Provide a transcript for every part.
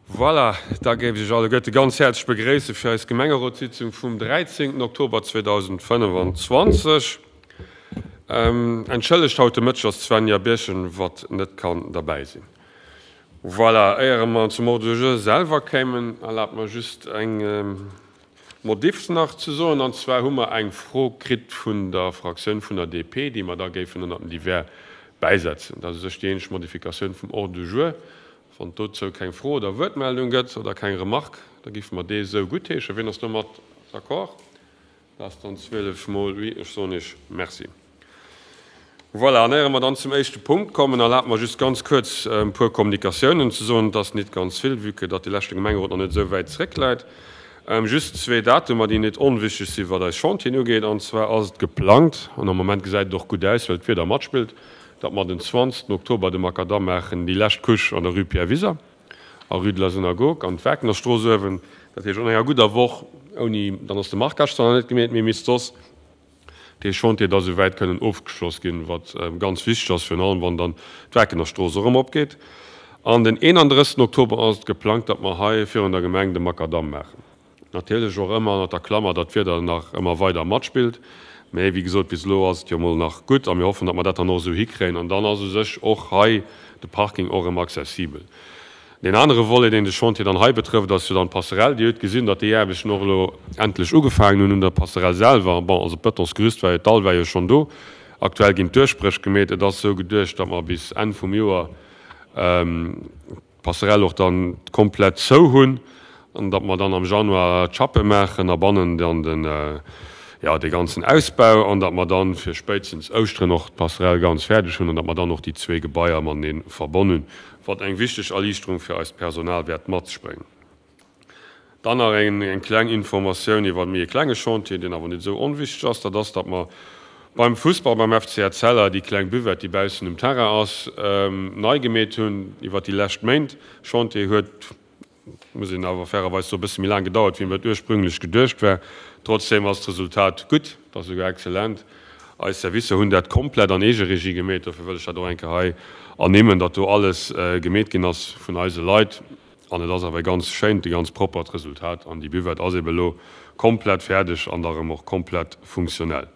Voilà, da géif ech Iech alleguerte ganz häerzlech begréisse fir eis Gemengerotssitzung vum 13 Oktober 2025. Entschëllegt, haut de Mëtteg ass d'Svenja Birchen, wat net kann derbäi sinn. Voilà, éiere mer zum Ordre du jour selwer kéimen, erlaabt mer just eng Modif nach ze soen. An zwar hu mer eng Fro kritt vun der Fraktioun vun der DP, déi mer da géifen ënnert den Divers bäisetzen. Dat ass u sech déi eenzeg Modifikatioun vum Ordre du jour. Wann et dozou keng Fro oder Wuertmeldung gëtt oder keng Remarque, da géife mer dee esou guttheeschen. Wien ass domat d'accord? Dat ass dann 12 mol oui. Ech soen Iech Merci. Voilà, an éiere mer dann zum éischte Punkt kommen, erlaabt mer just ganz kuerz e puer Kommunikatiounen ze soen. Et ass nit ganz vill, vue que datt dee leschte Gemengerot nach net esou wäit zréckläit. Just zwee Datumer, déi nit onwichtig sinn, wat eis Chantieren ugeet. An zwar ass et geplangt, an am Moment gesäit et och gutt aus, well d'Wieder matspillt, datt mer den 20 Oktober de Makadamm maachen, déi lescht Couche an der Rue Pierre Wiser a Rue de la Synagogue an d'Wagnerstrooss uewen. Dat heescht an enger gudder Woch, ouni, dann ass de Marquage zwar nach net gemeet, mee misst soss dee Chantier da souwäit kënnen ofgeschloss ginn, wat ganz wichteg ass, virun allem wann dann d'Wagnerstrooss och erëm opgeet. An den 31 Oktober ass et geplangt, datt mer hei virun der Gemeng de Makadamm maachen. Natierlech och ëmmer ënnert der Klammer, datt d'Wieder nach ëmmer weider matspillt. Mee wéi gesot, bis elo ass et jo mol nach gutt a mir hoffen, datt mer dat dann och esou hikréien. An dann ass u sech och hei de Parking och erëm accessibel. Deen anere Volet, deen de Chantier dann hei betrëfft, ass jo dann d'Passerelle. Dir hutt gesinn, datt déi Aarbechten och elo endlech ugefaangen hunn un der Passerelle selwer. Bon, also d'Bëtonsgerüst war jo, d'Dall war jo schonn do. Aktuell ginn d'Duerchbréch gemeet. Et ass esou geduecht, datt mer bis Enn vum Joer d'Passerelle och dann komplett zou hunn an datt mer dann am Januar d'Chappe maachen a bannen dann den, jo, dee ganzen Ausbau an datt mer dann fir spéitstens Ouschteren och d'Passerelle ganz fäerdeg hunn an datt mer dann och déi zwee Gebaier matenee verbonn hunn, wat eng wichteg Erliichterung fir eist Personal wäert mat sech bréngen. Dann nach eng kleng Informatioun iwwer méi e klenge Chantier, deen awer net esou onwichteg ass. Dat ass, datt mer beim Fussball, beim FC Etzella, déi kleng Buvette, déi baussen um Terrain ass, nei gemeet hunn iwwer déi lescht Méint. Chantier huet, muss een awer fairerweis soen, e bësse méi laang gedauert, wéi et ursprünglech geduecht war. Trotzdeem ass d'Resultat gutt, et ass esouguer exzellent. Eis Servicer hunn dat komplett an Eegeregie gemeet, dofir wëll ech dat och eng Kéier hei ernimmen, datt do alles gemeet ginn ass vun eise Leit. An et ass awer e ganz schéint, e ganz proppert Resultat. An déi Buvette ass ebe elo komplett fäerdeg an da rëm och komplett funktionell.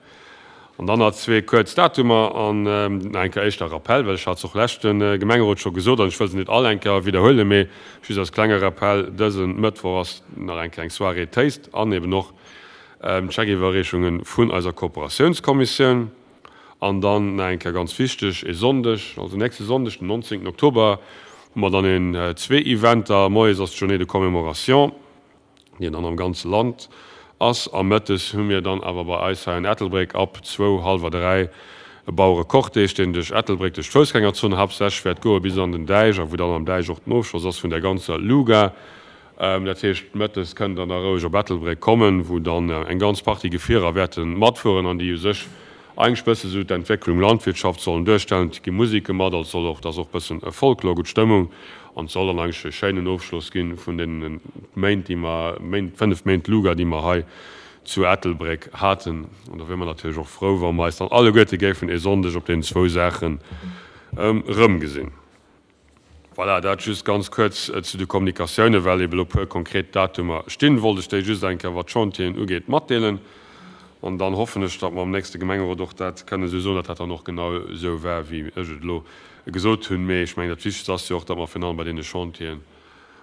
An dann nach zwee kuerz Datumer an nach eng Kéier éischter Rappell, well ech hat se och leschte Gemengerot scho gesot an ech wëll se net all eng Kéier widderhuelen, mee just als klenge Rappell, Dëse Mëttwoch ass nach eng Kéier eng Soirée Taste an eben och d'Scheckiwwerreechunge vun eiser Kooperatiounskommissioun. An dann nach eng Kéier ganz wichteg, e Sonndeg, also nächste Sonndeg, den 19 Oktober, hu mer dann een zwee Eventer. Moies ass d'Journée de commémoration, déi dann am ganze Land ass. A mëttes hu mir dann awer bei eis hei an Ettelbréck ab zwou, hallwer dräi e Bauerecortège, deen duerch Ettelbréck, duerch d'Foussgängerzon haaptsächlech wäert goe bis an den Däich a wou dann am Däich och den Ofschloss ass vun der ganzer Luga. Dat heescht, mëttes kënnt Der da roueg op Ettelbréck kommen, wou dann eng ganz Partie Gefierer wäerte matfueren an déi u sech eigentlech bësse sou d'Entwécklung Landwirtschaft sollen duerstellen. Et gi Museke mat, also soll och, et ass och bëssen Folklor, gutt Stëmmung an et soll dann eigentlech e schéinen Ofschloss gi vun deene Méint, déi mer, Méint, 5 Méint Luga, déi mer hei zu Ettelbréck haten. An da wiere mer natierlech och frou, wa mer eis dann alleguerte géifen e Sonndeg op deenen zwou Saachen erëmgesinn. Voilà, dat just ganz kuerz zu de Kommunikatiounen, well eben elo puer konkret Datumer stinn, wollt ech déi just eng Kéier, wat d'Chantieren ugeet, matdeelen. An dann hoffen ech, datt mer am nächste Gemengerot och dat kënnen esou soen, datt dat dann och genau esou war, wéi ech et elo gesot hunn. Mee ech mengen, dat Wichtegst ass jo och, datt mer virun allem bei deene Chantieren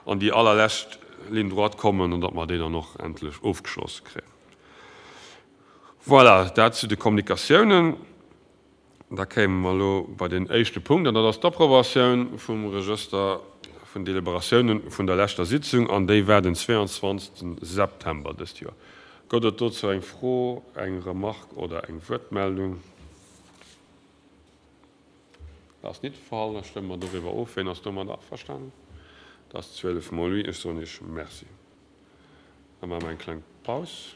an déi allerlescht Ligne droite kommen an datt mer déi dann och endlech ofgeschloss kréien. Voilà, dat zu de Kommunikatiounen. Da kéime mer elo bei deen éischte Punkt, an dat ass d'Approbatioun vum Regëster vun Deliberatiounen vun der leschter Sitzung, an déi war den 22. September dëst Joer. Gëtt et dozou eng Fro, eng Remarque oder eng Wuertmeldung? Dat ass nit de Fall. Da stëmme mer doriwwer of. Wien ass domat averstanen? Dat ass 12 mol oui. Ech soen Iech Merci. Da maache mer eng kleng Paus.